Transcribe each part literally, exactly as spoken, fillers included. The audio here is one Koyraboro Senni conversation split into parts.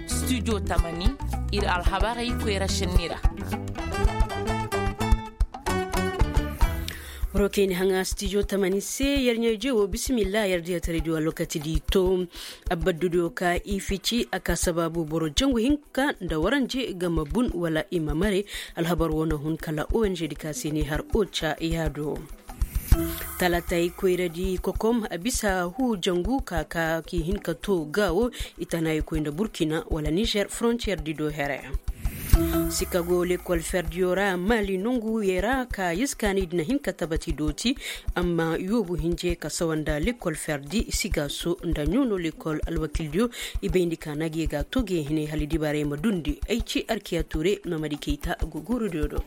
Studio tamani, ir alhabarey koyra šenni ra. Boro kaŋ i na haŋa studio tamani se, yer ɲaa-ije wo bisimillah. Yer diya taray di wa lokaci di to. Abaddudiyo ka i fici a ka sabaabu boro jangu hinka nda waranje ga ma bun wala i ma mare. Alhabar wo na hun kala ong di ka se ni har oca yaado. Talaatay koyra di kokom a bisa huu jangu ka ka ki hin ka to gaawo. Itanayi koy nda burkina wala nizer frontiyer di do here. Sikago lekol ferdiyo ra mali nongu yee ra ka yee si kaani di na hin ka tabati dooti. Amma yoobu hinje ka sawa nda lekol ferdi sigaso nda ɲoono lekol alwakildiyo. I bayndi ka na ga yee ga to ga yee hine hala dibaarey ma dundi ay ci arkiya tuure. Mamadi kayta go guurudiyo do.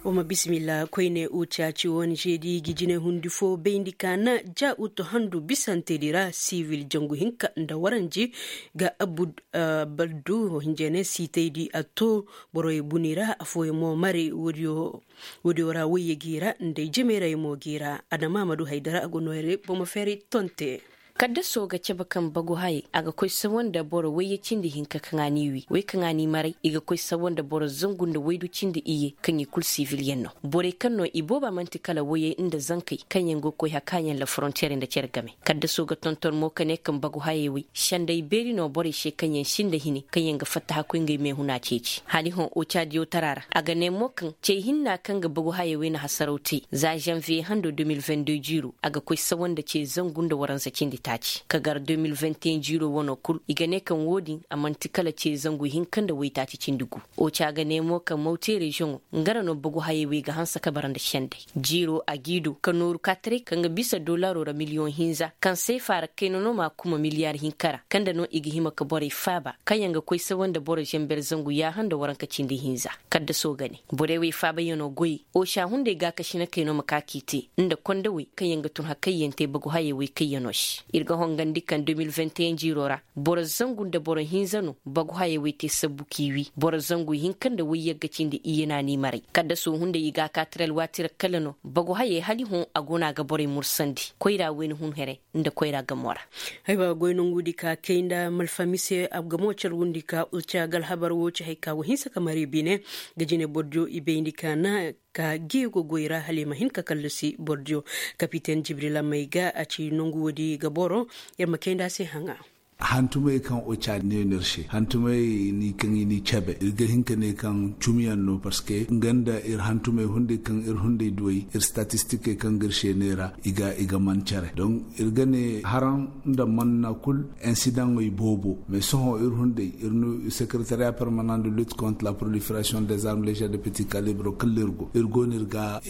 Wa ma bisimilla koyne uca ci wani žeedi gi jine hundi fo bayndi ka na ja uto handu bisantedi ra sivil jangu hinka nda waranji ga abud baldu hinjene siitaydi a to boroy buni ra afooyaŋ mo mare woodiyo ra woyye gi ra nda ay jemeray mo gi ra adama ma du haydara a go noyre bomo feeray tonte. Kaddaso ga cabe kaŋ bagu hayey a ga koy sawa nda boro wayye cindi hinka kaŋ a n'i wi wey kaŋ a n'i maray i ga koy sawa nda boro zangu nda waydu cindi iyye kaŋ i kulu siviliyaŋ no. Borey kaŋ no i booba man'ti kala wayey nda zankey kaŋyaŋ go koy hakaayaŋ la forontiyer nda cere game. Kaddaso ga tonton mo ka ne kaŋ bagu hayey wey senday beeri no borey se kaŋyaŋ sinda hine kaŋyaŋ ga fatta hakkoy ngey meehuna ceeci hala i hõ ocaadiyo tara ra. A ga ne mo kaŋ cey hinna kaŋ ga bagu hayey wey na hasaraw te za zanviye hando de mil vingt deux jiiro a ga koy sawa nda ce zangu nda waransa cindi taaci ka gar de mil vingt et un jiiro wano kul i ga ne kaŋ wo-din a man'ti kala ce zangu hinka nda waytaaci cindi gu. Oca ga ne mo kaŋ mawte reziyoŋo nga ra no bagu hayey wey ga hanse ka bara nda senday jiiro a g'i du ka nooru ka taray kaŋ ga bisa dolaro ra miliyoŋ hinza kaŋ seefa ra kayna no m'a kuma miliyar hinka ra kaŋ nda no i ga hima ka borey faaba kaŋyaŋ ga koy sawa nda boro zenber zangu yaaha nda waranka cindi hinza. Kaddaso ga ne borey wey faabayaŋo goyey oca hunday gaakasina kay no ma ka k'i te nda kondawey kaŋyaŋ ga tun hakayyaŋ te bagu hayey wey kayyaŋo se. Ir ga hongandi kaŋ de mil vingt et un jiiro ra boro zangu nda boro hinza no bagu hayey wey te sabbu k'i wi boro zangu hinka nda wayyagga cindi iyye na n'i maray kaddaso hunday i ga a ka tira alwaati ra kala no bagu hayey hala i hõ a go no a ga borey mursandi koyra wayna hun here nda koyra gamo ra. Hayba goy nongudi ka kay nda malfami se a ga mo cargundi ka uca ga alhabar wo ci hay ka go hinsa ka mari bine ga jine bordiyo i bayndi ka na ka geego goy ra hala i ma hin ka kallasi bordiyo. Kapiten jibrila may ga a ci nongu woodi ga boro ir ma kay nda a se haŋa. Hantumey kaŋ oca ne no ir se hantumey ni kaŋ i n'i cabe ir ga hin ka ne kaŋ cumiyaŋ no parceque nga nda ir hantumey hunday kaŋ ir hunday duwey ir statistikey kaŋ ga ir se ne ra i ga man care donc ir ga ne haraŋ nda manna kul insidaŋey boobo mais sohõ ir hunday ir no sekeretariya permanent de lutte contre la proliferation des armes légères de petit calibre kala ir go ir go no ir ga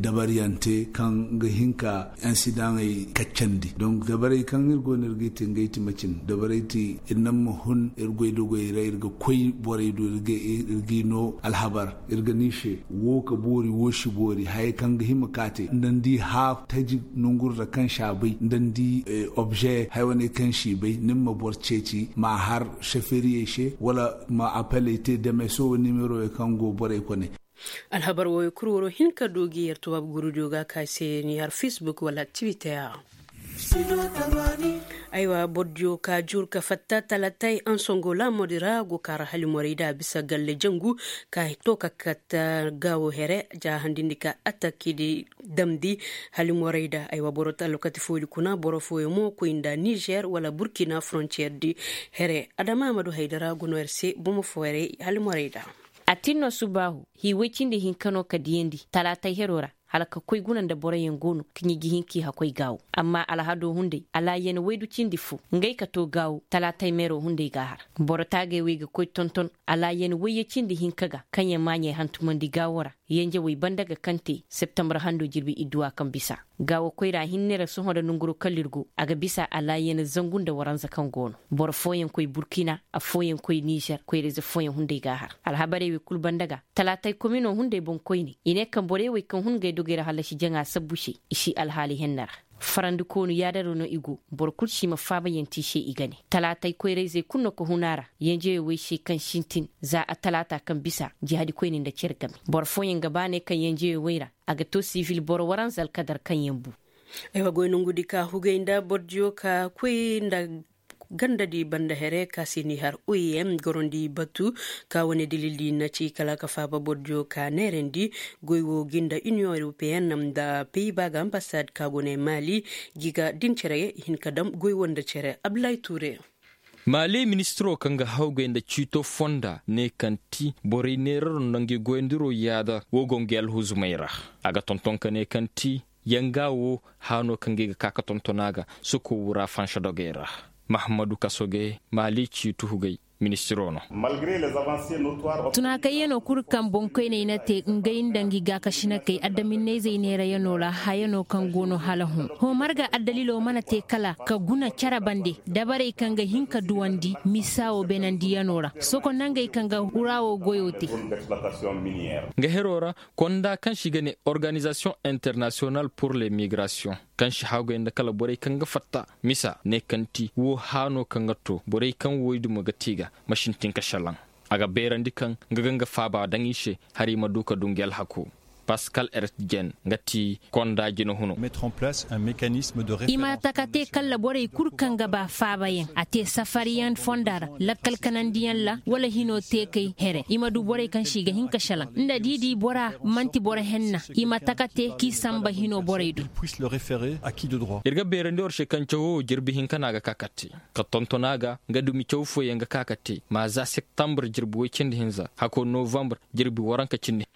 dabaryaŋ te kaŋ ga hin ka insidaŋey kaccandi donc dabarey kaŋ ir go no ir g'i te ngey ti macin dabarey ti ir naŋ ma hun ir goy dogoyey ra ir ga koy borey do ir g'i no alhabar ir ga ni se wo ka boori wo si boori hayey kaŋ ga hima ka te nda ni di haafu taji nongurra kaŋ si a bay nda ni di obze haya wane kaŋ si bay ni ma boro ceeci ma a har seferiyey se wala ma apeley te demeso nimerowey kaŋ go borey kone. Alhabar wooyo kul waro hin ka du gi yer tubaabu gurudiyo ga ka se ni har facebook wala twitter. Aywa bordiyo ka jur ka fatta talatay ansongo laamodi ra go ka ra halimorey da bisa galle jangu ka to ka katta gaawo here ja handindi ka atakidi damndi halimorey da aywa boro ta lokati foodi kuna boro fooyo mo koy nda nizer wala burkina frontiyer di here adama amadu haydara go no yer se bomo fooyerey halimorey da. A tin no subaahu hii woy cindi hinka no ka diyandi talaatay hero ra hala ka koy guna nda boroyaŋ go no ka ɲiji hinka i hakoy gaawo amma alhado hunday alaayan waydu cindi fo ngey ka to gaawo talaatay meero hunday g'a har. Boro taagay wey ga koy tonton alaayan wayye cindi hinka ga kaŋ yaŋ maaɲey hantumandi gaawo ra yanjawey banda ga kaŋ te septembre hando jirbi idduwa kaŋ bisa gaawo koyra hinne ra sohõ nda nanguro kala ir go a ga bisa alaayan zangu nda waranza kaŋ go no. Boro fooyaŋ koy burkina affooyaŋ koy nizer koyra-ize fooyaŋ hunday g'a har alhabarey wey kulu banda ga talaatay komino hunday boŋkoyne i ne kaŋ borey wey kaŋ hun ngey dogey ra hallasi jaŋa sabbu se i si alhaali henna ra. Farandikoonu yaadaro no i go. Boro kul si ma faabayaŋ te i se i ga ne talaatay koyra-izey kul no ka hun a ra. Yenjeyoo wey se kaŋ sintin za a talaata kaŋ bisa jihadi koyne nda cere game boro fooyaŋ ga ba ne kaŋ yenjeyoo wey ra a ga to sivil boro waranza alkadar kaŋ yaŋ bu. Ay wa goy nongudi ka hugay nda bordiyo ka koy nda gandadi banda here ka se ni har oem gorondi batu ka wane dilildi na ci kala ka faaba bordiyo ka neerandi. Goy wo ginda union europeen nda peyiba ga ambasad ka go ne mali. Gi ga din cere i hin ka dam goy wo nda cere abdulay ture. Maali ministiroo kaŋ ga hawgay nda ciito fonda ne kaŋ ti borey neeraroo nda ngi goyandiroo yaada woo go ngi alhuzumey ra. A ga tonton ka ne kaŋ ti yanga woo haanoo kaŋ ga i ga ka ka tonton a ga soko wura fansa dogey ra. Mahammadu kasoge maali ciito hugay ministiroo no. Tunaakayyanoo kul kaŋ boŋkoyney na te ngey nda ngi gaakasinakey adaminney zey neerayanoo ra hayanoo kaŋ go no hala hõ hõ marga addaliloo mana te kala ka guna cere bande dabarey kaŋ ga hin ka duwandi misa woo beenandiyanoo ra soko nangey kaŋ ga wura woo goyoo te. Nga heroo ra konda kaŋ se i ga ne organizasiyoŋ internasiyonal pur le migrasiyoŋ kaŋ se haggoy nda kala borey kaŋ ga fatta misa ne kaŋ ti woo haanoo kaŋ ga to borey kaŋ woy dumo ga te i ga ma sintin ka šelaŋ. A ga beerandi kaŋ nga ga nga faaba daŋ i se hari i ma du ka du ngi alhakoo. Paskal ertjen nga ti konda jina huno. I ma taka te kalla borey kul kaŋ ga ba faabayaŋ a te safariyaŋ fonda ra lakkal kanandiyaŋ ra wala hinoo teekay here i ma du borey kaŋ se i ga hin ka šelaŋ nda da i di bora man'ti boro henna. I ma taka te k'i sanba hinoo borey do. Ir ga beerandi war se kaŋ cawoo jirbi hinka no a ga ka ka te ka tonton a ga nga dumi caw fooyaŋ ga ka ka te ma za septambur jirbi woy cindi hinza hakoo novambur jirbi waranka cindi.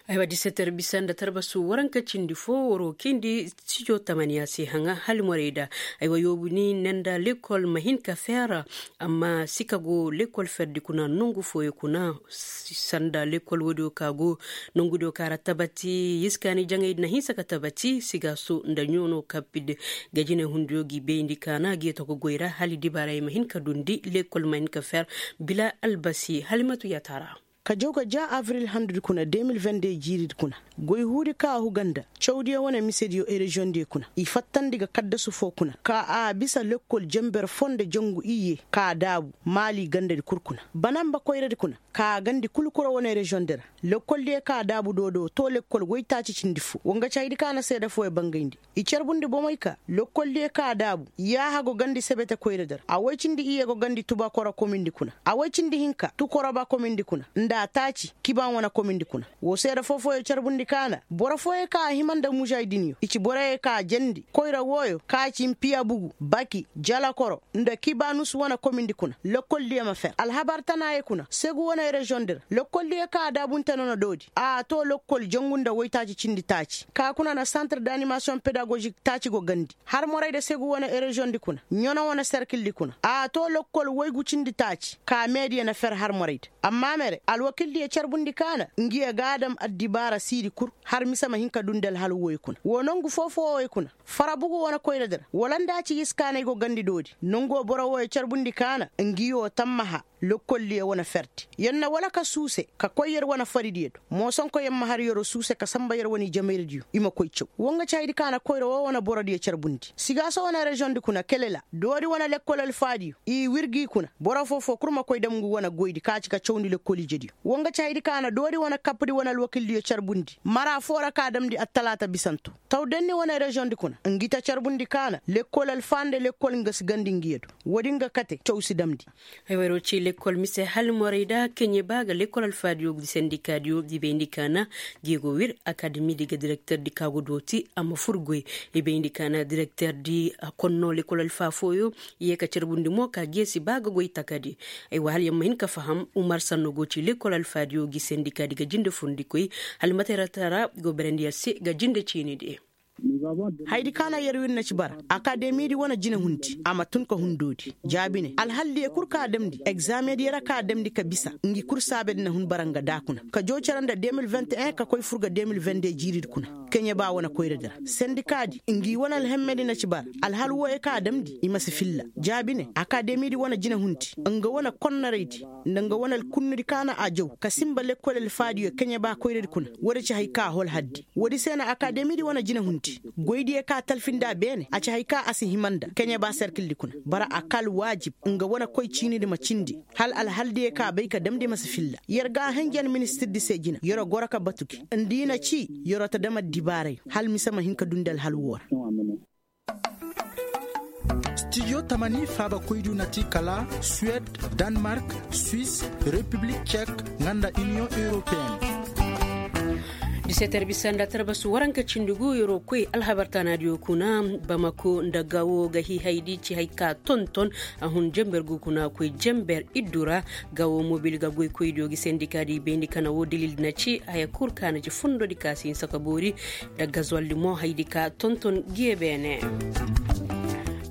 Aywa diseter bisa nda tarbasu waranka cindi fo waroo kindi studio tamaniya se haŋa hala morey da. Aywa yoobu ni ne nda lekol ma hin ka feera amma sika go lekol ferdi kuna nongu fooyo kuna sanda lekol woodiyo ka go nongudiyo ka ra tabati yiskaani jaŋay di na hinsa ka tabati sigaaso nda ɲoono kappi de. Ga jinay hundiyo gi bayndi kaana gi yeto ga goy ra hala i dibaarey ma hin ka dundi lekol ma hin ka feer bila albasi hala i ma tu yataara. Ka jaw ga ja abril handudi kuna de mil vende jiiridi kuna goy huudi ka a huga nda cawdiyo wane misediyo ereziyoŋdiyo kuna i fattandi ga kaddasu foo kuna ka a bisa lekkol jenber foo nda jangu iyye ka a daabu maali gandadi kul kuna banamba koyradi kuna ka a gandi kul kura wane reziyoŋdi ra. Lekkoldiyo ka a daabu doodoo too lekkol woytaaci cindi foo wa nga ci haydi ka na seeda fooyo bangayndi. I carbundi bomey ka lokkoldiyo ka a daabu yaaha go gandi sebete koyradi ra a woy cindi iyye go gandi tubakora komindi kuna a woy cindi hinka tukoroba komindi kuna nda taaci kiban wane komindi kuna. Woo seeda foo-fooyo carbundi ka na boro fooyo ka a hima nda muzaydinyo i ci boroyo ka a jendi koyra wooyo ka ci mpiya bugu baki jalakoro nda kibanus wane komindi kuna lokkoldiyo ma fer alhabar tanaayo kuna segu wane reziyoŋdi ra lokkoldiyo ka a daabunte noona doodi a too lokkol jangu nda woytaaci cindi taaci ka kuna na santir d'animasiyoŋ pedagozik taaci go gandi har morayda segu wane ereziyoŋdi kuna ɲano wane serkildi kuna a too lokkol woygu cindi taaci ka meediyo na fer har morayda. Amma mere alwakildiyo carbundi ka na ngiyo ga a dam addibaara siidi kul har mise ma hin ka dundi alhal wooyo kuna woo nongu foo-fooyo kuna fara bugu wane koyradi ra wala nda a ci yiskaanay go gandi doodi nonguwoo boro wooyo carbundi ka na ngiyo tammaha lokkoldiyo wane ferdi yer na wala ka suuse ka koy yer wane faridiyo do moosonko yer ma har yeroo suuse ka sanba yer wane ijemayradiyo i ma koy caw woo nga ci haydi ka na koyra woo wane borodiyo carbundi sigaaso wane reziyoŋdi kuna kelela doodi wane lekkol alfaadiyo i wir gi kuna boro foo-foo kul ma koy dam ngu wane goydi ka ci ka cawndi lekkol ijediyo woo nga ci haydi ka na doodi wane kappadi wane alwakildiyo carbundi mara foo ra ka damndi attalaata bisanto taw denni wane reziyoŋdi kuna ngi ta carbundi ka na lekkol alfaa nda lekkol nga si gandi ngiyo do woodi nga kate caw si damndi. Ay wayro ci lekkol mise hali morey da keɲe ba ga lekkol alfaadiyo gi sendikaadiyo i bayndi ka na gi go wir akademi di ga direkterdi ka go dooti a ma fur goy i bayndi ka na direkterdi a konno lekkol alfaa fooyo i ye ka carbundi mo ka geesi ba ga goy takadi. Ay wa hali yer ma hin ka faham umar sanno go ci lekkol alfaadiyo gi sendikaadi ga jinde furndikoy hali mate ra tara go berendi yer se ga jinde ciini de. Haydi ka na yer wir na ci bara akademidi wane jine hundi a ma tun ka hun doodi jaabi ne alhaldiyo kul ka a damndi egzaamediyo ra ka a damndi ka bisa ngi kul saabedi na hun bara nga daa kuna ka joo cere nda de mil vingt et un ka koy fur ga de mil vingt deux jiiridi kuna. keɲe ba wane koyradi ra. Sendikaadi ngi wane alhemmedi na ci bara. Alhal wooyo kaŋ a damndi i ma si filla. Jaabi ne akaademidi wane jinehundi, nga wane konnoraydi, nda nga wane alkunnudi kaŋ a na a jaw ka sinba lekkol alfaadiyo keɲe ba koyradi kuna. Woodi ci hari kaŋ a hol haddi. Woodi se na akaademidi wane jinehundi, goydiyo kaŋ a talfi nda a beene a ci hari kaŋ a si hima nda keɲe ba serkildi kuna. Bara a ka alwaajib nga wane koy ciinidi ma cindi, hala alhaldiyo kaŋ a bay ka damndi ma si filla. Yer ga a henjen ministirdi se jina yer'o goro ka batu gi. Nda i na ci, yer'o ta dam addibaaray hala mise ma hin ka dundi alhal woo ra. Stijo tamani faabakoydiyo na ti kala suwed, danmark, swis, repiblik cek, nga nda iniyoŋ europeyen. Diseeter bisa nda tarbasu waranka cindi gu yer'o koy alhabar taanaadiyo kuna. Bamako nda gawo ga hiihaydi ci hari ka tonton. A hun jenber gu kuna koy jenber iddu ra. Gawo mobil ga goykoydiyo gi sendikaadi bayndi kana woo dilildi na ci haya kul ka na ci fundodi ka si hinsa ka boori. Nda gazoldi mo haydi ka tonton giye beene.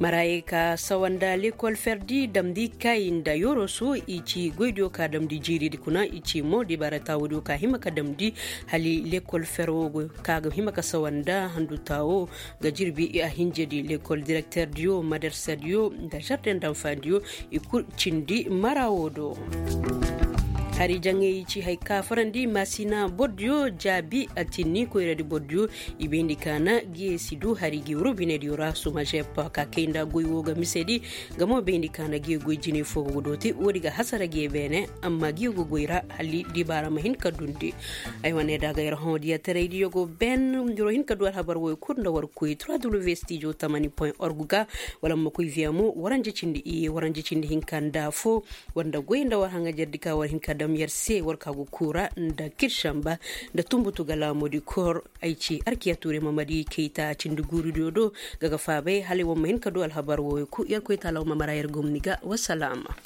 Maraayey ka sawa nda lekol ferdi damndi kay nda yoroso i ci goydiyo ka damndi jiiridi kuna i ci mo dibaara taawodiyo ka hima ka damndi. Hali lekol ferwo go ka ga hima ka sawa nda handu taawo ga jirbi a hinjedi lekol direkterdiyo madarsadiyo nda jarden danfandiyo i kul cindi mara woo do. Hari jaŋay ci hari ka farandi maasina bordiyo jaabi a tinni koyradi bordiyo. I bayndi ka na giye si du hari gi wuro binediyo ra sumajep ka kay nda goy woo ga misedi. Nga mo bayndi ka na giye goy jinay fo go ga dooti woodi ga hasara giye beene. Amma giye go goy ra hali dibaara ma hin ka dundi. Ay wane da ga yer hõ diya taraydiyo go ben. Yer wo hin ka du alhabar woy kul nda war koy trois w stijo tamani point org ga. Wala ma koy viya mo waranje cindi iye waranje cindi hinka nda fo. War nda goy nda war haŋajerdi ka war hin ka dam yer se war ka go kuura nda kiršamba nda tunbutu ga laamudi kor. Ay ci arkiya tuure mamadi kayta cindi guuridiyo do. Ga ga faabay hala war ma hin ka du alhabar woy kul yer koy taala war ma mara yer gomni ga wasalaama.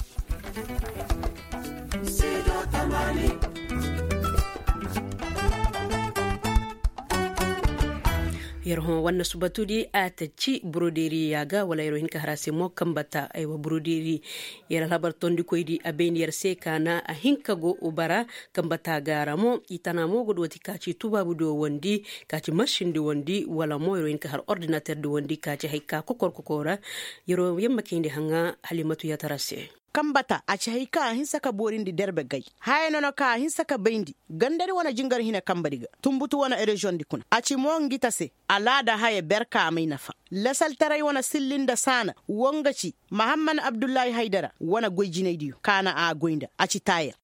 Yer hõ wanna subatudi a ta ci burodeeri yaaga wala yer wo hin ka har a se mo kambata aywa burodeeri. Yer alhabar tondikoydi a bayndi yer se ka na a hin ka go bara. Kambata ga ra mo i tana mo ga dooti ka ci tubaabudiyo wandi ka ci marsindi wandi wala mo yer wo hin ka har ordinaterdi wandi ka ci hari ka kokor kokora. Yer wo yer ma kayndi haŋa halimatu yaatara se. Kambata a ci hari kaŋ a hinsa ka boorindi derbe gay. Haya nono kaŋ a hinsa ka bayndi gandadi wane jingar hina kambadi ga tunbutu wane reziyoŋdi kuna a ci mo ngi ta se. Alaada haya ber kaŋ a may nafa lasaltaray wane silli nda saana wo nga ci mahamman abdullahi haydara wane goy jinaydiyo kaŋ a na a goy nda a ci taayer.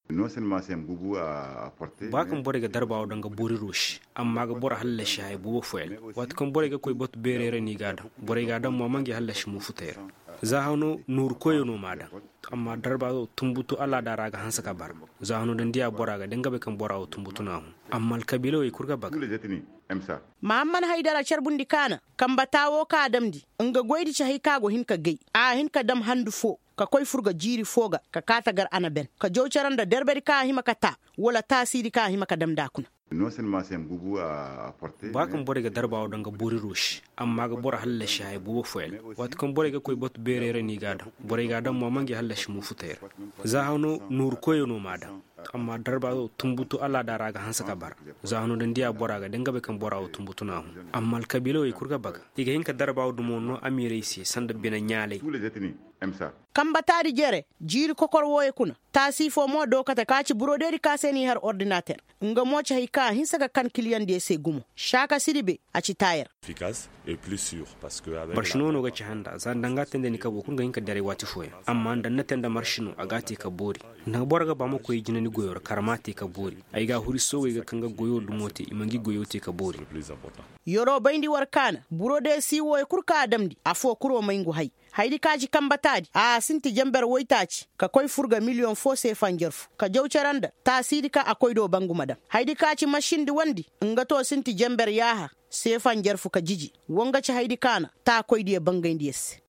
Ba kaŋ borey ga darba wo daŋ ga boori roosi amma ga boro hallasi haya boobo fooyaŋ. Waati kaŋ borey ga koy batu beerey ra no i g'a daŋ borey g'a daŋ mo a ma ngi hallasi mo futey ra. Za hano nooru koyey no m'a daŋ. Amma darba wo tunbutu alaada ra ga hanse ka bara. Za hano da ni diya bora ga da nga bay kaŋ bora wo tunbutu no a hun. Amma alkabiila wey kul ga baga. Mahamman haydara carbundi kaana kamba taawo kaŋ a damndi nga goydi ci hay kaŋ a go hin ka gay. A hin ka dam handu fo ka koy fur ga jiiri fo ga ka kaata gar a na ben ka jaw cere nda derbedi kaŋ a hima ka taa wala taasiidi kaŋ a hima ka dam nd'a kuna. Ba kaŋ borey ga darba wo daŋ ga boori roosi amma ga boro hallasi haya boobo fooyaŋ. Waati kaŋ borey ga koy batu beerey ra no i g'a daŋ borey g'a daŋ mo a ma ngi hallasi mo futey ra. Za hano nooru koyey no m'a daŋ. Amma darba wo tunbutu alaada ra ga hanse ka bara. Za hano da ni diya bora ga da nga bay kaŋ bora wo tunbutu no a hun. Amma alkabiila wey kul ga baga i ga hin ka darba wo dumo no amiirey se sanda bine ɲaalay. Kamba taadi jere jiiri kokor wooyo kuna. Taasi fo mo dookate ka ci burodeedi ka se n'i har ordinater. Nga mo ci hay kaŋ a hinse ka kan kiliyaŋdiyo se gumo. Saaka siribe a ci taayer. Marši no no ga ci handa za nda nga te nda ni kabo kul ga hin ka daray waati fooyaŋ. Amma nda ni na te nda marši no a g'a te ka boori. Nda boro ga ba ma koy jinani goyo ra kar m'a te ka boori. Ay ga huri soogey ga kaŋ ga goyo dumo te i ma ngi goyo te ka boori. Yeroo bayndi war kaana burode si wooyo kul kaŋ a damndi afoo kul wo may ngu hay. Haydi kaŋ a ci kamba taadi a sinti jenber woytaaci ka koy fur ga miliyoŋ foo seefa njarfu ka jaw cere nda taasiidi kaŋ a koy do bangu ma daŋ. Haydi kaŋ a ci masindi wandi nga to sinti jenber yaaha seefa njarfu ka jiji. Wo nga ci haydi kaŋ a na taakoydiyo bangayndi yer se.